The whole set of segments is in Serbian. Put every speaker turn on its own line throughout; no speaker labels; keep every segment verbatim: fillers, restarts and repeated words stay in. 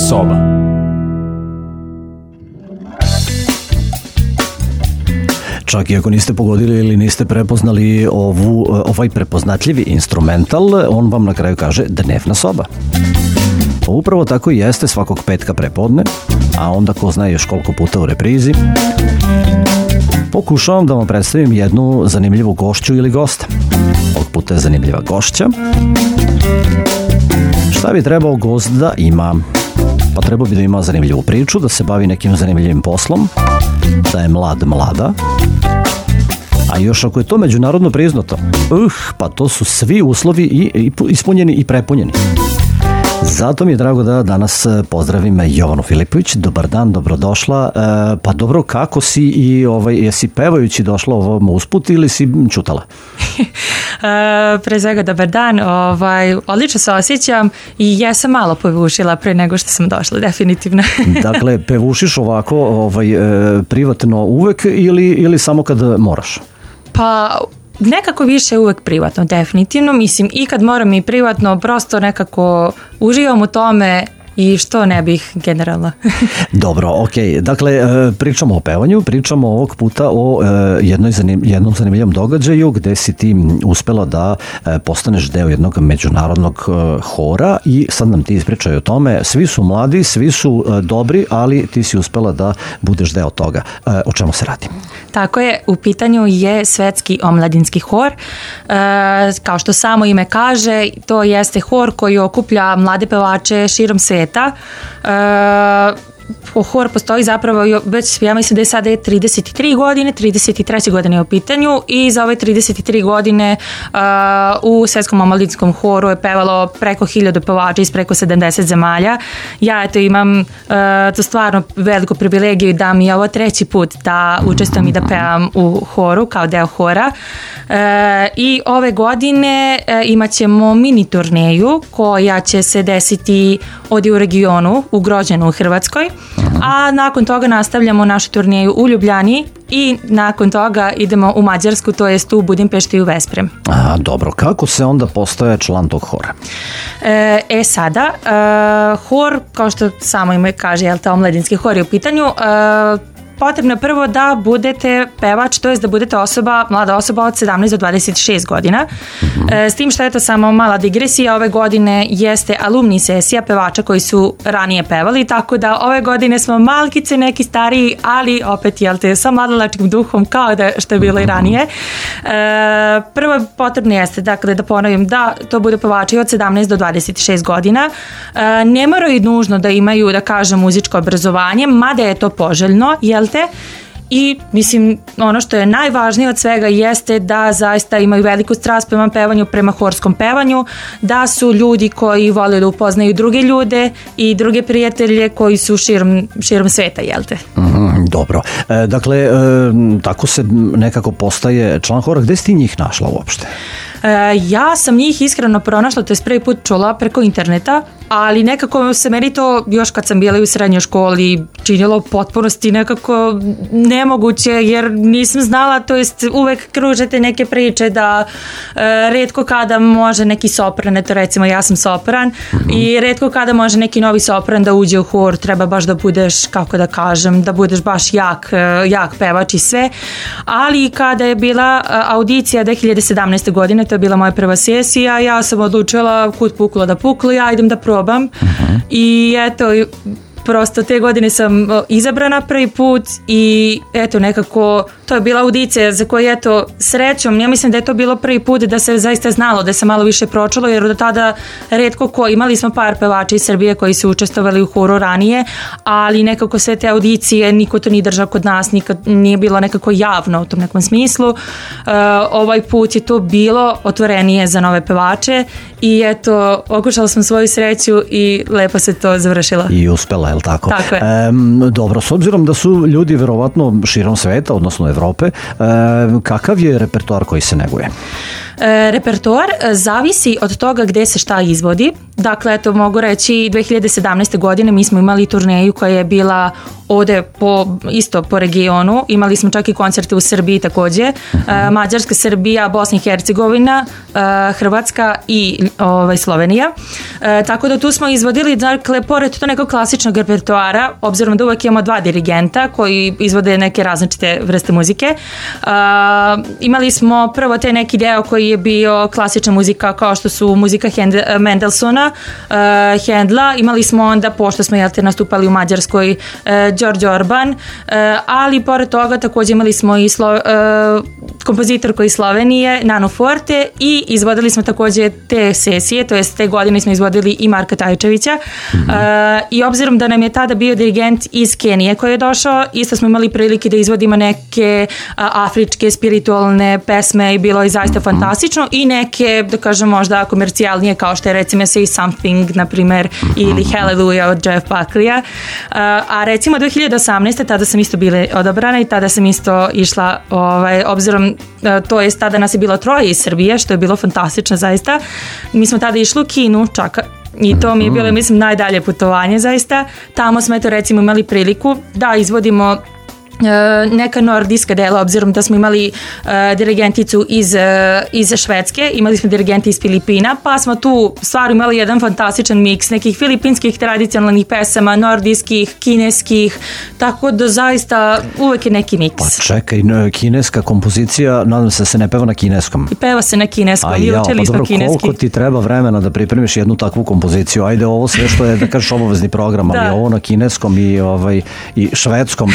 soba.
Čak i ako niste pogodili ili niste prepoznali ovu, ovaj prepoznatljivi instrumental, on vam na kraju kaže dnevna soba. Upravo tako i jeste svakog petka prepodne, a onda ko zna još koliko puta u reprizi. Pokušavam da vam predstavim jednu zanimljivu gošću ili gosta. Ovog puta je zanimljiva gošća. Šta bi trebao gost da ima? Pa trebao bi da ima zanimljivu priču, da se bavi nekim zanimljivim poslom, da je mlad mlada, a još ako je to međunarodno priznato, uh, pa to su svi uslovi i, i ispunjeni i prepunjeni. Zato mi je drago da danas pozdravim Jovanu Filipović. Dobar dan, dobrodošla. E, pa dobro, kako si i ovaj, jesi pevajući došla ovom usput ili si čutala?
e, pre svega dobar dan, ovaj, odlično se osjećam i jesam malo pevušila pre nego što sam došla, definitivno.
Dakle, pevušiš ovako ovaj, e, privatno uvek ili, ili samo kad moraš?
Pa nekako više uvek privatno, definitivno. Mislim, i kad moram i privatno, prosto nekako uživam u tome i što ne bih generalno.
Dobro, okej. Dakle, pričamo o pevanju, pričamo ovog puta o jednoj zanim, jednom zanimljivom događaju gde si ti uspela da postaneš deo jednog međunarodnog hora i sad nam ti ispričaj o tome. Svi su mladi, svi su dobri, ali ti si uspela da budeš deo toga. O čemu se radi?
Tako je, u pitanju je Svetski omladinski hor. E, kao što samo ime kaže, to jeste hor koji okuplja mlade pevače širom sveta. E, hor postoji zapravo već, ja mislim da je sada trideset tri godine, trideset treće godine je u pitanju i za ove trideset tri godine uh, u Svetskom omladinskom horu je pevalo preko hiljadu pevača iz preko sedamdeset zemalja. Ja eto imam uh, to stvarno veliku privilegiju da mi je ovo treći put da učestvujem i da pevam u horu kao deo hora. Uh, I ove godine uh, imat ćemo mini turneju koja će se desiti ovdje u regionu, u Grođanu u Hrvatskoj. A nakon toga nastavljamo našu turneju u Ljubljani i nakon toga idemo u Mađarsku, to jest u Budimpešti i u Vesprem.
A, dobro, kako se onda postaje član tog hora?
E, e sada, e, hor, kao što samo ime kaže, jel, ta omladinski hor je u pitanju, e, potrebno je prvo da budete pevač, to jest da budete osoba, mlada osoba od sedamnaest do dvadeset šest godina. Mm-hmm. E, s tim što je to samo mala digresija, ove godine jeste alumni sesija pevača koji su ranije pevali, tako da ove godine smo malkice neki stariji, ali opet, jel te, sa mladalačkim duhom kao da što je bilo i ranije. E, prvo potrebno jeste, dakle, da ponovim da to bude pevači od sedamnaest do dvadeset šest godina. E, ne moraju nužno da imaju, da kažem, muzičko obrazovanje, mada je to poželjno, jel te? I mislim, ono što je najvažnije od svega jeste da zaista imaju veliku strast prema pevanju, prema horskom pevanju, da su ljudi koji vole da upoznaju druge ljude i druge prijatelje koji su širom, širom sveta, jel te?
Mm, dobro. E, dakle, e, tako se nekako postaje član hora. Gde si ti njih našla uopšte?
E, ja sam njih iskreno pronašla, to je prvi put čula preko interneta, ali nekako se meni to još kad sam bila u srednjoj školi činilo u potpunosti nekako nemoguće, jer nisam znala, to jest uvek kružete neke priče da e, retko kada može neki sopran, eto recimo ja sam sopran, mm-hmm. i retko kada može neki novi sopran da uđe u hor, treba baš da budeš, kako da kažem, da budeš baš jak, jak pevač i sve, ali kada je bila audicija dve hiljade sedamnaeste. godine, to je bila moja prva sesija, ja sam odlučila kud puklo da puklo, ja idem da probam. Uh-huh. I eto, prosto te godine sam izabrana prvi put i eto nekako to je bila audicija za koju eto srećom, ja mislim da je to bilo prvi put da se zaista znalo, da se malo više pročulo, jer do tada retko ko, imali smo par pevača iz Srbije koji su učestvovali u horu ranije, ali nekako sve te audicije niko to nije držao kod nas, nikad nije bilo nekako javno u tom nekom smislu. Uh, ovaj put je to bilo otvorenije za nove pevače i eto okušala sam svoju sreću i lepo se to završilo.
I uspela, je li tako?
Tako je.
E, dobro, s obzirom da su ljudi verovatno širom sveta, odnosno Evrope, e, kakav je repertoar koji se neguje?
E, repertoar zavisi od toga gde se šta izvodi. Dakle, eto, mogu reći, dve hiljade sedamnaeste. godine mi smo imali turneju koja je bila ovde po, isto po regionu. Imali smo čak i koncerte u Srbiji takođe. E, Mađarska, Srbija, Bosna i Hercegovina, e, Hrvatska i ovaj, Slovenija. E, tako da tu smo izvodili, dakle, pored to nekog klasičnog repertoara, obzirom da uvek imamo dva dirigenta koji izvode neke različite vrste muzike. E, imali smo prvo te neki deo koji je bio klasična muzika kao što su muzika Hend Mendelsona, uh, Hendla, imali smo onda, pošto smo jel te nastupali u Mađarskoj, uh, Đorđe Orban, uh, ali pored toga takođe imali smo i slo, uh, kompozitorku iz Slovenije, Nanu Forte, i izvodili smo takođe te sesije, to jest te godine smo izvodili i Marka Tajčevića, mm-hmm. uh, i obzirom da nam je tada bio dirigent iz Kenije koji je došao, isto smo imali prilike da izvodimo neke uh, afričke spiritualne pesme i bilo je zaista mm-hmm. fantastično, i neke, da kažem, možda komercijalnije kao što je recimo Say Something, na primer, ili Hallelujah od Jeff Buckley-a. A recimo dve hiljade osamnaeste. tada sam isto bila odabrana i tada sam isto išla, ovaj, obzirom, to je tada nas je bilo troje iz Srbije, što je bilo fantastično zaista. Mi smo tada išli u Kinu, čak, i to mi je bilo, mislim, najdalje putovanje zaista. Tamo smo, eto, recimo, imali priliku da izvodimo neka nordijska dela, obzirom da smo imali uh, dirigenticu iz, uh, iz Švedske, imali smo dirigenti iz Filipina, pa smo tu stvarno imali jedan fantastičan miks nekih filipinskih tradicionalnih pesama, nordijskih, kineskih, tako da zaista uvek je neki miks.
Pa čekaj, kineska kompozicija, nadam se da se ne peva na kineskom.
I peva se na kineskom,
a
i
ja,
učili
pa
smo
dobro,
kineski.
koliko ti treba vremena da pripremiš jednu takvu kompoziciju? Ajde, ovo sve što je, da kažeš, obavezni program, ali da. Ovo na kineskom i, ovaj, i švedskom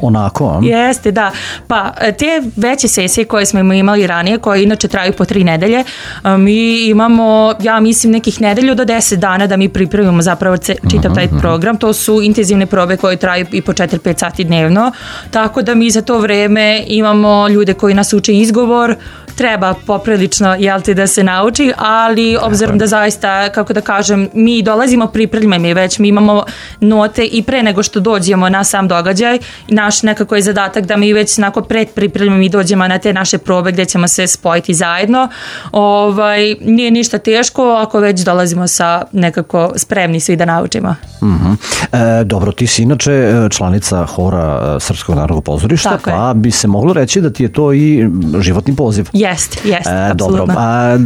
onako, a?
Jeste, da. Pa te veće sesije koje smo imali ranije, koje inače traju po tri nedelje, mi imamo, ja mislim, nekih nedelju do deset dana da mi pripremimo zapravo čitav taj program. To su intenzivne probe koje traju i po četiri pet sati dnevno, tako da mi za to vreme imamo ljude koji nas uče izgovor, treba poprilično, jel ti, da se nauči, ali obzirom da zaista, kako da kažem, mi dolazimo pripremljeni već, mi imamo note i pre nego što dođemo na sam događaj, naš nekako je zadatak da mi već onako pred pripremljeni dođemo na te naše probe gdje ćemo se spojiti zajedno. Ovaj, nije ništa teško ako već dolazimo sa nekako spremni svi da naučimo.
Mm-hmm. E, dobro, ti si inače članica hora Srpskog narodnog pozorišta, tako pa je. Bi se moglo reći da ti je to i životni poziv.
Jest, jest,
e,
apsolutno.
Dobro, a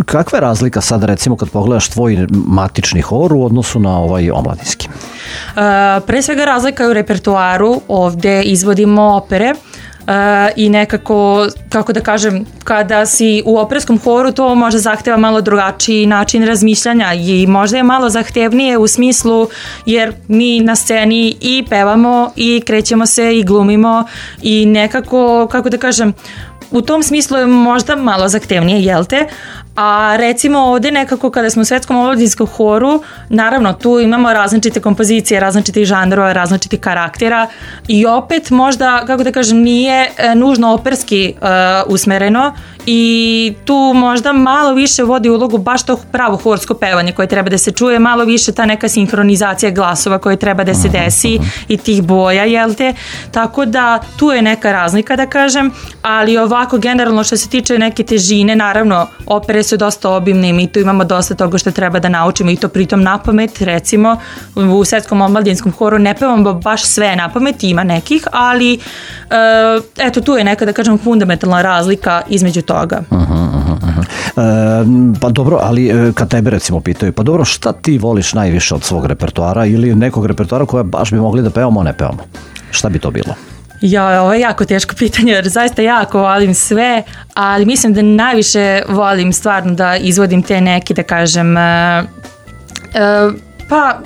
kakva je razlika sad, recimo, kad pogledaš tvoj matični hor u odnosu na ovaj omladinski?
Uh, pre svega razlika je u repertoaru, ovde izvodimo opere. Uh, i nekako, kako da kažem, kada si u operskom horu, to možda zahteva malo drugačiji način razmišljanja i možda je malo zahtevnije u smislu jer mi na sceni i pevamo i krećemo se i glumimo i nekako, kako da kažem, u tom smislu je možda malo zahtevnije, jel te? A recimo ovde nekako kada smo u Svetskom omladinskom horu, naravno tu imamo različite kompozicije, različitih žanrova, različitih karaktera i opet možda, kako da kažem, nije nužno operski uh, usmereno i tu možda malo više vodi ulogu baš to pravo horsko pevanje koje treba da se čuje, malo više ta neka sinhronizacija glasova koja treba da se desi i tih boja, jel te? Tako da tu je neka razlika, da kažem, ali ovako generalno što se tiče neke težine, naravno opere su dosta obimne i mi tu imamo dosta toga što treba da naučimo i to pritom na pamet. Recimo u Svetskom omladinskom horu ne pevamo baš sve na pamet, ima nekih, ali e, eto tu je neka, da kažem, fundamentalna razlika između toga.
Aha, aha, aha. E, pa dobro, ali kad tebe recimo pitaju, pa dobro, šta ti voliš najviše od svog repertoara ili nekog repertoara koja baš bi mogli da pevamo, a ne pevamo? Šta bi to bilo?
Ja, ovo je jako teško pitanje jer zaista jako volim sve, ali mislim da najviše volim stvarno da izvodim te neki, da kažem, uh, uh, pa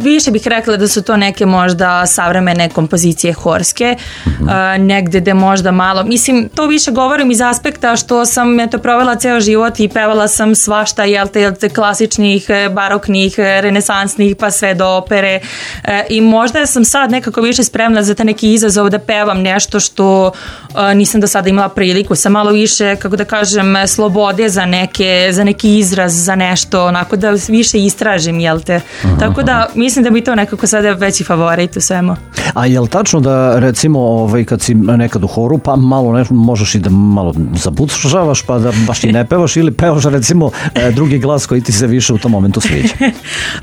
više bih rekla da su to neke možda savremene kompozicije horske, mm-hmm. uh, negde gde možda malo, mislim, to više govorim iz aspekta što sam eto provela ceo život i pevala sam svašta, jel te, jel te klasičnih, baroknih, renesansnih, pa sve do opere uh, i možda sam sad nekako više spremna za te neki izazov da pevam nešto što uh, nisam do sada imala priliku, sa malo više, kako da kažem, slobode za neke, za neki izraz, za nešto, onako da više istražim, jel te, mm-hmm. tako da mislim da bi to nekako sada veći favorit u svemu.
A je li tačno da recimo ovaj, kad si nekad u horu pa malo ne, možeš i da malo zabušavaš pa da baš i ne pevaš ili pevaš recimo drugi glas koji ti se više u tom momentu sviđa?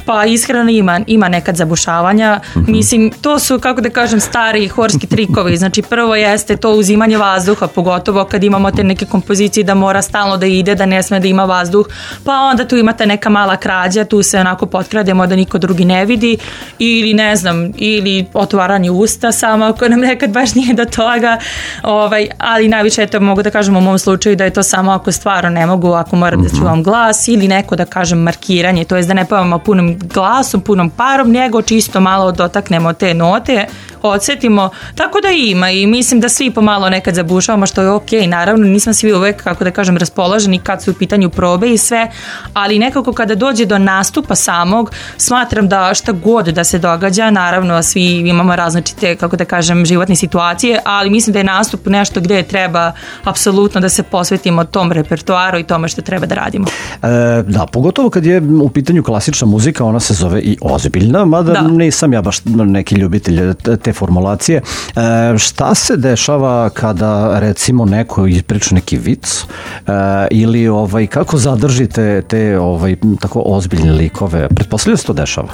Pa iskreno ima, ima nekad zabušavanja. Mm-hmm. Mislim, to su, kako da kažem, stari horski trikovi. Znači prvo jeste to uzimanje vazduha, pogotovo kad imamo te neke kompozicije da mora stalno da ide, da ne sme da ima vazduh, pa onda tu imate neka mala krađa, tu se onako potkrademo da niko drugi ne vidi ili ne znam, ili otvaranje usta samo ako nam nekad baš nije do toga, ovaj, ali najviše to mogu da kažem u mom slučaju da je to samo ako stvarno ne mogu, ako moram da čuvam glas ili neko da kažem markiranje, to je da ne pevamo punim glasom, punom parom, nego čisto malo dotaknemo te note, odsetimo, tako da ima i mislim da svi pomalo nekad zabušavamo što je ok, naravno nismo svi uvek, kako da kažem, raspoloženi kad su u pitanju probe i sve, ali nekako kada dođe do nastupa samog, smatram da šta god da se događa, naravno svi imamo različite, kako da kažem, životne situacije, ali mislim da je nastup nešto gde treba apsolutno da se posvetimo tom repertoaru i tome što treba da radimo.
E, da, pogotovo kad je u pitanju klasična muzika, ona se zove i ozbiljna, mada da. Nisam ja baš neki ljubitelj te formulacije. E, šta se dešava kada recimo neko ispriča neki vic e, ili ovaj, kako zadržite te ovaj, tako ozbiljne likove? Pretpostavljam se to dešava?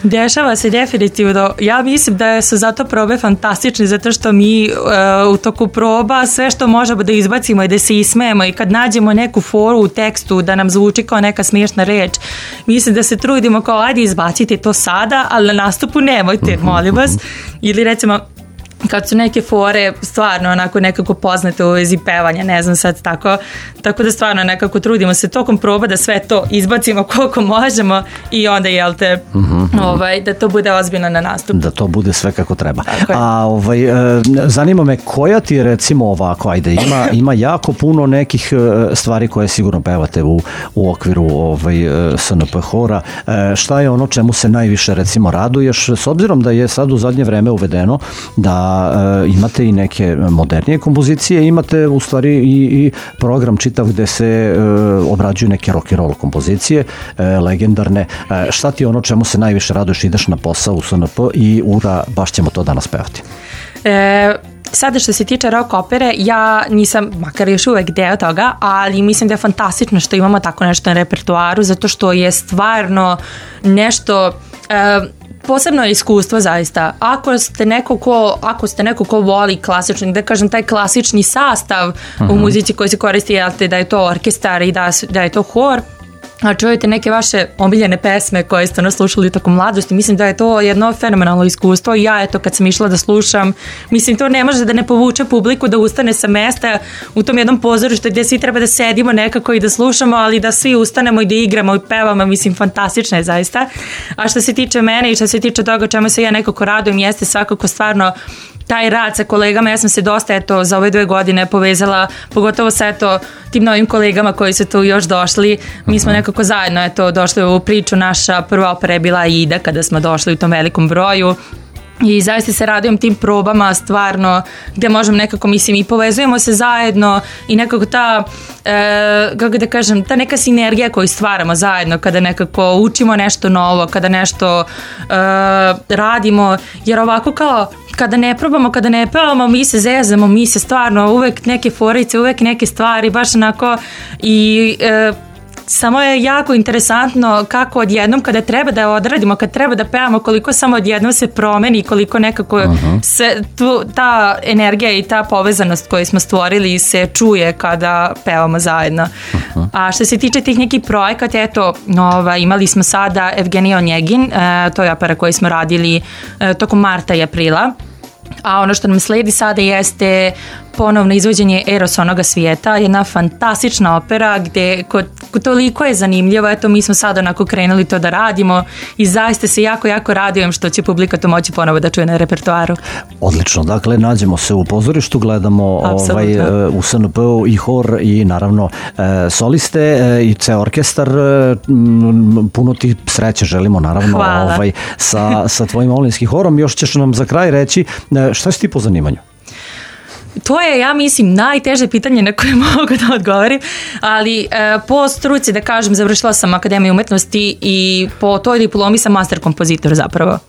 Dešava se definitivno. Ja mislim da su zato probe fantastične zato što mi e, u toku proba sve što možemo da izbacimo i da se ismejemo i kad nađemo neku foru u tekstu da nam zvuči kao neka smiješna reč, mislim da se trudimo kao ajde izbacite to sada, ali na nastupu nemojte, molim vas. Ili recimo kad su neke fore stvarno onako nekako poznate u vezi pevanja, ne znam sad tako, tako da stvarno nekako trudimo se tokom proba da sve to izbacimo koliko možemo i onda jel te mm-hmm. ovaj, da to bude ozbiljno na nastup.
Da to bude sve kako treba. A ovaj, zanima me koja ti je recimo ovako, ajde ima, ima jako puno nekih stvari koje sigurno pevate u, u okviru ovaj, S N P hora. Šta je ono čemu se najviše recimo raduješ s obzirom da je sad u zadnje vreme uvedeno da imate i neke modernije kompozicije, imate u stvari i, i program čitav gde se e, obrađuju neke rock and roll kompozicije, e, legendarne. E, šta ti je ono čemu se najviše raduješ, ideš na posao u S N P i ura, baš ćemo to danas pevati?
E... Sada što se tiče rock opere, ja nisam, makar još uvek deo toga, ali mislim da je fantastično što imamo tako nešto na repertoaru, zato što je stvarno nešto... E, posebno je iskustvo zaista. Ako ste neko ko, ako ste neko ko voli klasični, da kažem taj klasični sastav uh-huh. u muzici koji se koristi, jelte, da je to orkestar i da, da je to hor, a čujete neke vaše omiljene pesme koje ste nas slušali tokom mladosti, mislim da je to jedno fenomenalno iskustvo i ja eto kad sam išla da slušam, mislim to ne može da ne povuče publiku da ustane sa mesta u tom jednom pozorištu gdje svi treba da sedimo nekako i da slušamo, ali da svi ustanemo i da igramo i pevamo, mislim fantastično je zaista. A što se tiče mene i što se tiče toga čemu se ja nekako radujem jeste svakako stvarno taj rad sa kolegama, ja sam se dosta eto za ove dve godine povezala, pogotovo sa eto tim novim kolegama koji su tu još došli, mi smo nekako zajedno eto došli u priču, naša prva opera je bila Ida kada smo došli u tom velikom broju. I zaista se radujem tim probama stvarno gdje možemo nekako, mislim, i povezujemo se zajedno i nekako ta, e, kako da kažem, ta neka sinergija koju stvaramo zajedno kada nekako učimo nešto novo, kada nešto e, radimo, jer ovako kao kada ne probamo, kada ne pevamo, mi se zezamo, mi se stvarno uvek neke forice, uvek neke stvari, baš onako i... E, samo je jako interesantno kako odjednom kada treba da odradimo, kad treba da pevamo, koliko samo odjednom se promeni, koliko nekako uh-huh. se tu, ta energija i ta povezanost koju smo stvorili se čuje kada pevamo zajedno. Uh-huh. A što se tiče tih nekih projekata, eto, ova, imali smo sada Evgenija Onjegin, e, to je opera koju smo radili e, tokom marta i aprila. A ono što nam sledi sada jeste ponovno izvođenje Eros onoga svijeta, jedna fantastična opera gdje kod, kod toliko je zanimljivo, eto mi smo sada onako krenuli to da radimo i zaista se jako, jako radujem što će publika to moći ponovo da čuje na repertoaru. Odlično,
dakle nađemo se u pozorištu, gledamo ovaj, u S N P-u i hor i naravno soliste i ceo orkestar, puno ti sreće želimo naravno ovaj, sa, sa tvojim omladinskim horom. Još ćeš nam za kraj reći šta si ti po zanimanju?
To je, ja mislim, najteže pitanje na koje mogu da odgovorim, ali e, po struci, da kažem, završila sam Akademiju umetnosti i po toj diplomi sam master kompozitor zapravo.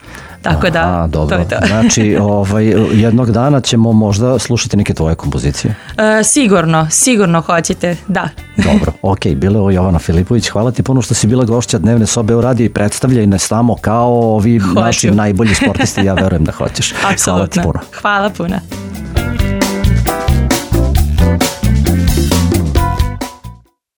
Tako da,
Aha, dobro.
to je to.
Znači, ovaj, jednog dana ćemo možda slušati neke tvoje kompozicije.
E, sigurno, sigurno hoćete, da.
Dobro, ok, bila je ovo Jovana Filipović, hvala ti puno što si bila gošća Dnevne sobe u radiju i predstavljaj nas tamo kao ovi
Hoću.
naši najbolji sportisti, ja verujem da hoćeš.
Apsolutno.
Hvala ti puno.
Hvala puno.